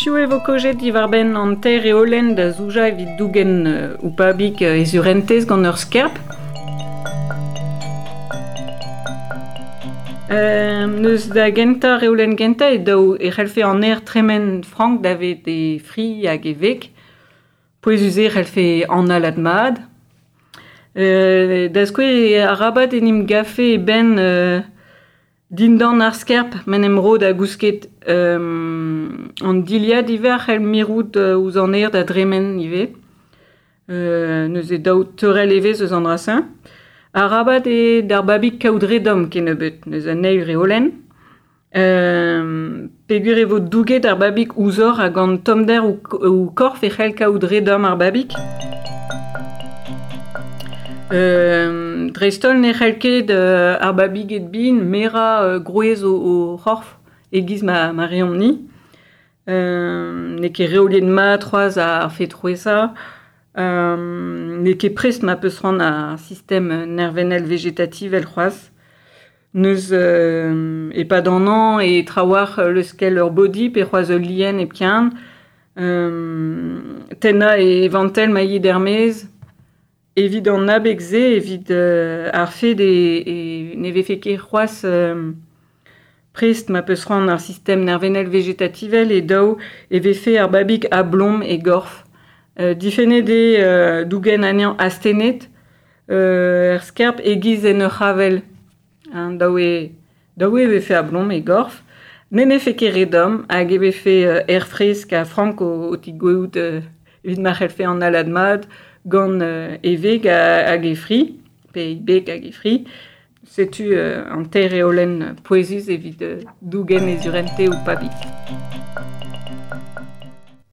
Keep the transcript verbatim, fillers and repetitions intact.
Hiziv e vo kaojet diwar-benn an teir reolenn da zoujañ evit dougen uh, ho pabig uh, e surentez gant ur skerp. Euh, neus da gentañ reolenn gentañ e daou e c'hellfe an aer tremen frank davet e fri hag e veg. Pouezus eo e c'hellfe analat mat. Euh, da skouer e arabat en em gafe e benn euh, dindan ar skerp m'en em ro da gousket euh, an dilhad ivez a c'hell mirout euh, ouzh an aer da dremen ivez. Euh, neuze daou teurel evezh eus an dra-se. Arabat eo d'ar babig kaout re domm kennebeut, neuze an eil reolenn. Euh, peogwir e vo douget ar babig ouzhoc'h hag an tommder ho, ho korf e c'hell kaout re domm ar babig. Euh, dreist-holl ne c'hell ket euh, ar babiged bihan merañ euh, grouez o, o c'horf e-giz ma, ma reomp-ni. Euh, n'eo ket reoliet mat c'hoazh ar fed c'hwezhañ. Euh, n'eo ket prest ma peus c'hoant ar sistem nervennel vegetativ c'hoazh. Neus euh, e-pad an hañv e trawalc'h leuskel ur body pe c'hoazh ul lien hepken. Euh, tennañ e vantell ma yit er-maez. Evit an abeg-se, evit euh, ar fed e, e ne vefe ket c'hoazh euh, prest ma peus c'hoant ar sistem nervennel vegetativel e daou e vefe ar babig a-blom e gorf. Euh, difennet eo euh, dougen anezhañ astennet euh, er skerp e-giz en ur c'havell. Hein, daou e, daou e vefe a-blom e gorf. Ne nefe ket re domm hag e vefe euh, aer fresk ha frank o, o tigoueout euh, evit ma c'hellfe analat mat gant euh, e veg hag e fri, pe e beg hag e fri. Setu euh, an teir reolenn pouezus evit euh, dougen e surentez ho pabig.